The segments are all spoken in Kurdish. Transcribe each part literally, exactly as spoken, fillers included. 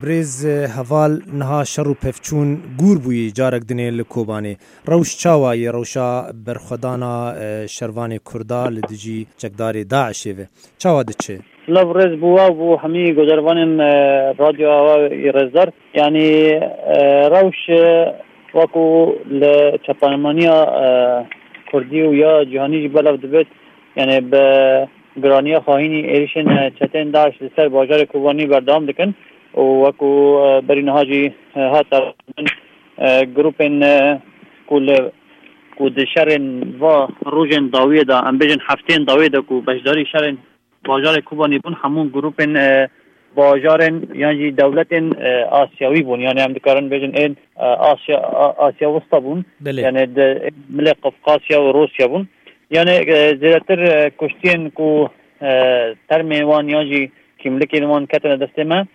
Birêz Heval, niha şer û pevçûn gûr bûyî carek dinê li Kobanê. Rewş çawa ye, rewşa berxwedana, e, şervanê Kurda li dijî çekdarê DAIŞê ve? Çawa diçe? Silav rêz bo we û bo hemî guhdarvanên, e, Radyo Awa yê rêzdar. Yanî, e, rewş, e, wekû li çapemenaniya, e, Kurdî û ya cîhanî jî belav dibêt, yanî bi giraniya xahînî êrişên, e, çetên DAIŞ li ser bajarê Kobanî berdewam dikin û wekû, e, berî niha jî, e, hat erbin, e, grûpên, e, ku li, ku di şerên va rojên dawiyê de, em bêjin hefteyên dawiyê de ku beşdarî şerên bajarê Kobanî bûn, hemû grûpên, e, bajarên yan jî dewletên, e, Asyawî bûn. Yanî em dikarin bêjin ên, e, Asya, A-, Asya Wista bûn. Belê. Yanî di milê Qafqasya û Rûsya bûn. Yanî, e, zêdetir, e, kuştiyên ku, e, termê wan yan jî kîmlikên wan ketine destê me,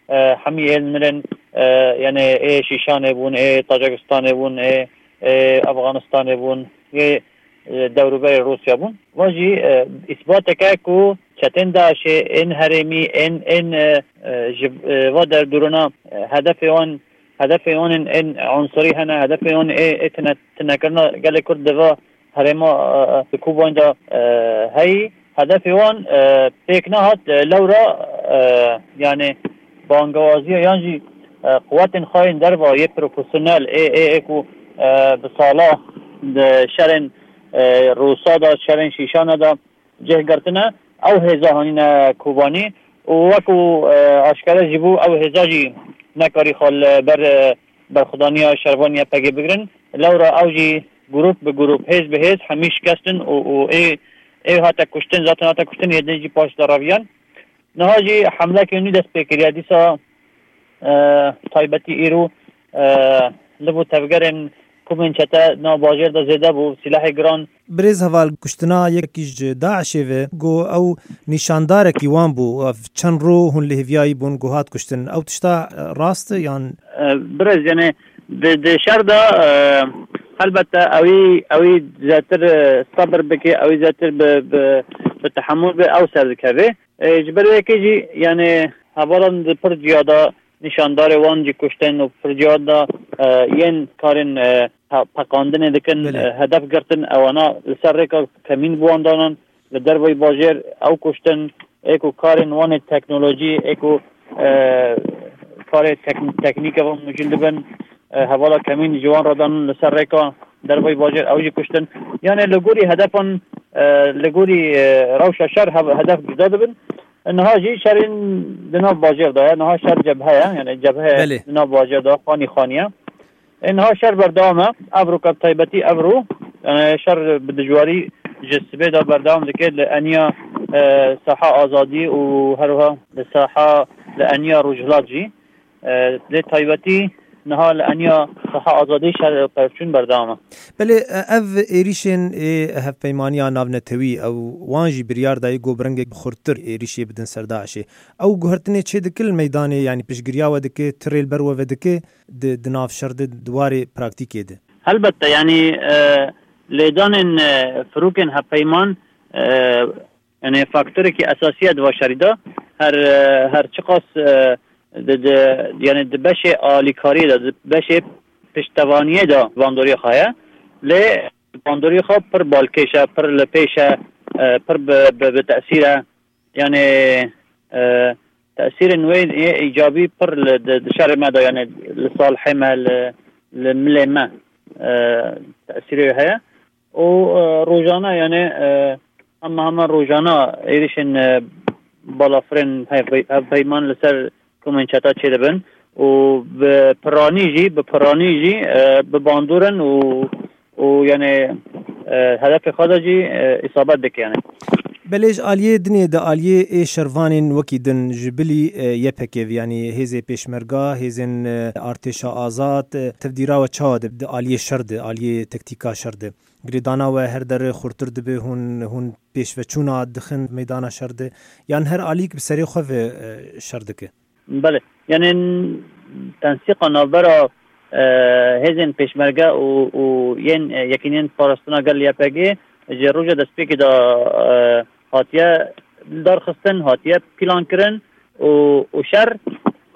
e, hemî ên mirin, e, yanî ê Şîşanê bûn, ê Tacikistanê bûn, ê, ê Afganistanê bûn, ê, e, dewrûberê Rûsya bûn. Va jî, e, îsbateke ku çetên DAIŞê ên herêmî, ên, ên, e, e, ji, e, va derdorana, e, hedefê wan, hedefê wan ên, ên unsurî hene, hedefê wan ê, ê tine-, tinekirina gelê Kurd di va herêma, e, e, di Kobanê de, e, heyî. Hedefê wan, e, pêk nehat, e, lewra, e, yanî bangewaziya yan jî, e, quwetên xwe yên derva yê profesyonel ê, ê, ê ku, e, bi sala di şerên, e, Rûsa de, şerên Şîşana de cih girtine, ew hêza hanîne Kobanî û wekû, e, aşkere jî bû, ew hêza jî nekarî xwe li ber, e, berxwedaniya şervanê Y P G bigirin. Lewra ew jî grûp bi grûp, hêz bi hêz hemî şikestin û, û ê, ê hate kuştin, zaten hate kuştin, ê din jî paş de reviyan. Niha jî hemlekê nû dest pê kiriye. Dîsa, e, taybetî îro, e, li bo tevgerên komên çete nav bajêr de zêde bû, sîlehê giran. Birêz Heval, kuştina yekî ji DAIŞê ve, got ew nîşandarekî wan bû, ev çend ro hûn li hêviyayî bûn, got hat kuştin. Ew tişta, e, rast e yan? E, birêz, yanî di, di şer de, e, helbette ewî, ewî zêdetir, e, sebir bike, ewî zêdetir bi, bi, bi tehemûl be, ew ser dikeve. E, ji ber wê yekê jî, yanî hevalan di pir ciya de nîşandarê wan jî kuştin û pir ciya de, e, yên karên, e, pe-, peqandinê dikin, Belê. E, hedef girtin, ewana li ser rêka kemîn bi wan danan, li derveyî bajêr ew kuştin, ê ku karên wan ê teknolojî, ê ku, e, karê tek-, teknîke van micûl dibin, e, hevala kemîn ji wan re danin li ser rêka derveyî bajêr, ew jî kuştin. Yanî li gorî hedefan, e, li gorî, e, rewşa şer hev-, hedef cuda dibin. Niha jî şerên di nav bajêr de ye. Niha şer cebhe ye. Yanî cebhe Belê. Di nav bajêr de xanî xanî ye. Ê, niha şer berdewam e. Evroka bi taybetî evro, yanî şer bi dijwarî ji sibê de berdewam dike li eniya, e, Saha Azadî û her wiha li Saha, li eniya Rojhilat jî. E, lê taybetî niha li eniya Saha Azadî şer pevçûn berdewam e. Belê, e, ev êrîşên ê hevpeymaniya navnetewî, ew wan jî biryar dayî ku bi rengek xurttir êrîşê bidin ser DAIŞê. Ew guhertinê çê dike li meydanê, yanî piştgiriya we dike, tirê li ber we vedike di, di nav şer de, di warê praktîkê de? Helbette, yanî, e, lêdanên, e, firokên hevpeyman, e, yanî faktorekî esasî ye di va şerî de. Her, e, her çiqas, e, di, di, yanî di beşê alîkariyê de, di beşê piştevaniyê de bandoriyê xwe ye. Lê bandoriyê xwe pir balkêş e, pir li pêş e, e, pir bi, bi, bi tesîr e. Yanî, e, tesîrên wê yê îcabî pir li, di, di şerê me de, yanî li salihê me, li, li milê me, e, tesîrê wê heye. Û, e, rojane, yanî, e, hema hema rojane êrişên, e, balafirên hev-, hevpeyman li ser komên çeta çêdibin û bi piranî jî, bi piranî jî, e, bi bandor in û, û, yanî, e, hedefê xwe de jî, e, îsabet dike, yanî. Belê ji aliyê dinê de aliyê ê şervanên wekî din ji bilî, e, Y P G, yanî hêzê pêşmerga, hêzên, e, artêşa azad, e, tevdîra we çawa dibe di aliyê şer de, aliyê tektîka şer de? Girêdana we her dere xurtir dibe, hûn, hûn pêşveçûna dixin meydana şer de, yan her alîk bi serê xwe ve, e, şer dike? Belê. Yanî tensîqa navbera, e, hêzên pêşmerge û, û yên, e, Yekîneyên Parastina Gel Y P G ji roja destpêkê de, e, hatiye darxistin, hatiye plankirin û, û şer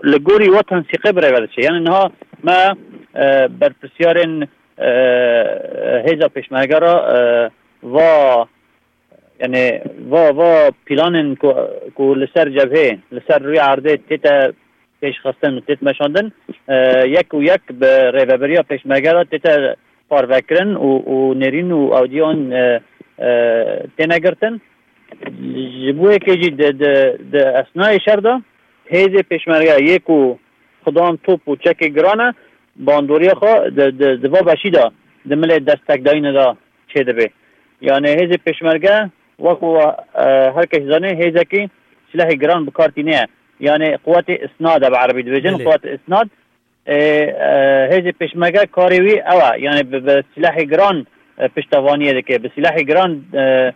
Li gorî we tensiqê bi rêve diçe. Yani niha me, e, berpirsiyarên, e, hêza pêşmerge re, e, va, yani va, va planên ku, ku li ser cebhê, li ser rûyê erdê tête pêşxistin û tête meşandin, e, yek û yek bi rêveberiya pêşmerge re tête parvekirin û, û nêrîn û awciyan, e, e, têne girtin. Ji bo yekê jî di, di, di esnayê şer de hêzê pêşmerge yê ku xudan top û çekê giran e, bandoriya xwe di, di, di va beşî de di milê destekdayînê de çêdibe. Yani hêzê pêşmerge wek ku, e, her kes dizane hêzekî silahê giran bi kar tîne ye. Yani quwetê isnad e bi erebî dibêjin, Belê. Quwetê isnad. E, e, hêzê pêşmerge karê wî ew e. Yani bi, bi silahê giran, e, piştevaniyê dike. Bi silahê giran, e,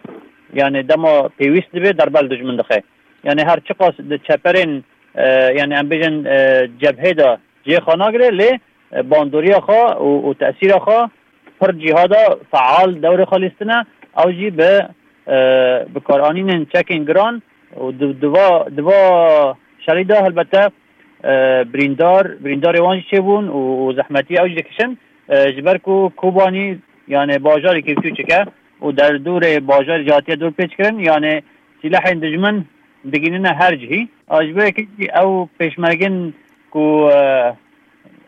yani dema pêwîst dibe derbe li dijmin dixe. Yani her çiqas di çeperên, e, yani em bêjin, e, cebhê de cihê xwe nagire, lê, e, bandoriya xwe û, û tesîra xwe pir cîha de feal dewrê xwe lîstine. Ew jî bi, e, bikaranînên çekên giran û di, di va, di va şerî de helbete, e, birîndar, birîndarê wan jî çêbûn û, û zehmetî ew jî dikişin. E, ji ber ku Kobanî, yani bajarê kêfçûçik e û derdorê bajarê jî hatiye dorpêçkirin, yani silahên dijmin digihînine her cihî. A, ji bo yekê jî ew pêşmergên ku, e,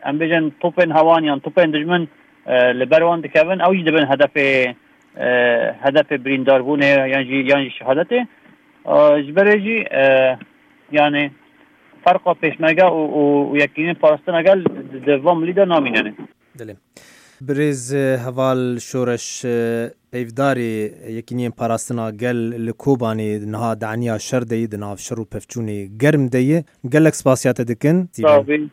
em bêjin topên hewan yan topên dijmin, e, li ber wan dikevin, ew jî dibin hedefê, e, hedefê birîndarbûnê yan jî, yan jî şehadetê. E, ji berê jî, e, yani ferqa pêşmerge û, û, û yekînên parastina gel di, di van milî de namîne. Dilê. Birêz, e, Heval Şoreş, e, peyvdarê Yekîniyên Parastina Gel li Kobanê niha di eniya şer de yî, di nav şer û pevçûnê germ de yî. Gelek spasiya te dikin. Sağ olun.